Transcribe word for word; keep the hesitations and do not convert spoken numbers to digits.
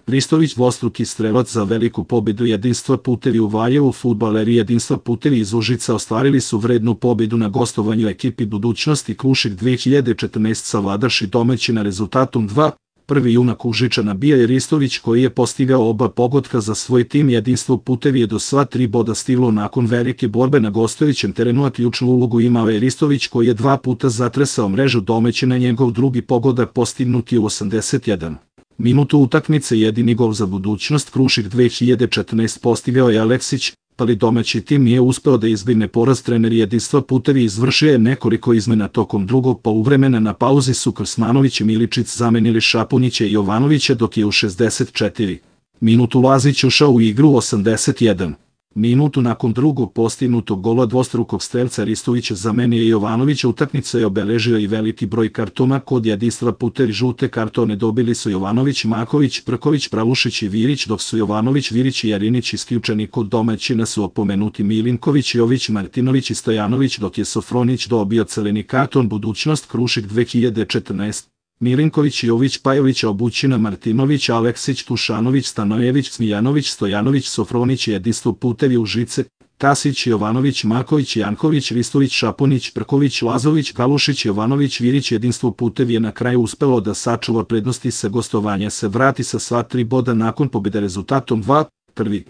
Ristović dvostruki strelac za veliku pobedu. Jedinstva putevi u Valjevu. Fudbaleri Jedinstva putevi iz Užica ostvarili su vrednu pobedu na gostovanju ekipi Budućnosti Krušik dve hiljade četrnaest savladaši domaćina rezultatom dva. Prvi junak Užičana bio je Ristović koji je postigao oba pogotka za svoj tim. Jedinstvo putevi je do sva tri boda stiglo nakon velike borbe na gostujućem terenu, a ključnu ulogu imao je Ristović koji je dva puta zatresao mrežu domaćina. Njegov drugi pogodak postignut je u osamdeset jednom minutu utakmice. Jedini gol za Budućnost Krušik dve hiljade četrnaest postigao je Aleksić, ali domaći tim nije uspeo da izbegne poraz. Trener Jedinstva putevi izvršio je nekoliko izmena tokom drugog poluvremena. Na pauzi su Krsmanović i Miličić zamenili Šapunjića i Jovanovića, dok je u šezdeset četvrtom minutu Lazić ušao u igru. U osamdeset jednom minutu nakon drugog postignutog gola dvostrukog strelca Ristovića zamenio je Jovanovića. Utakmica je obeležio i veliki broj kartona kod Jedinstva putevi. Žute kartone dobili su Jovanović, Maković, Prković, Pralušić i Virić, dok su Jovanović, Virić i Jarinić isključeni. Kod domaćina su opomenuti Milinković, Jović, Martinović i Stojanović, dok je Sofronić dobio crveni karton. Budućnost Krušik dve hiljade četrnaest. Milinković, Jović, Pajović, Obućina, Martinović, Aleksić, Tušanović, Stanojević, Smijanović, Stojanović, Sofronić. Jedinstvo putevi Užice, Tasić, Jovanović, Maković, Janković, Ristović, Šapunić, Prković, Lazović, Kalušić, Jovanović, Virić. Jedinstvo putevi je na kraju uspelo da sačuva prednosti sa gostovanja, se vrati sa sva tri boda nakon pobjede rezultatom dva. Prvi